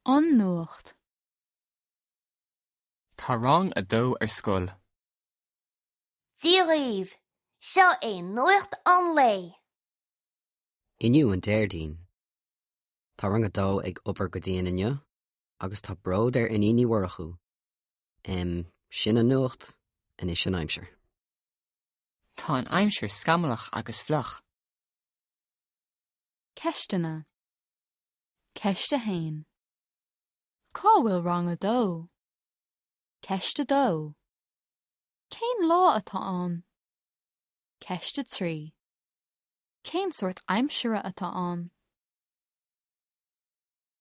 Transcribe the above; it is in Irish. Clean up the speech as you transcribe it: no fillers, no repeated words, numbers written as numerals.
An Nuacht. Tá rang a dó ar scoil. Dia dhaoibh! Seo é nuacht an lae. Inniu an Déardaoin. Tá rang a dó ag obair go dian inniu agus tá bród ar Iníon Ní Mhurchú. Em, sin an nuacht, anois an aimsir. Tá an aimsir scamallach agus fliuch. Ceisteanna. Ceist 1. Cá bhfuil rang a dó? Ceist 2. Cén lá atá ann? Ceist 3. Cén sórt aimsire atá ann?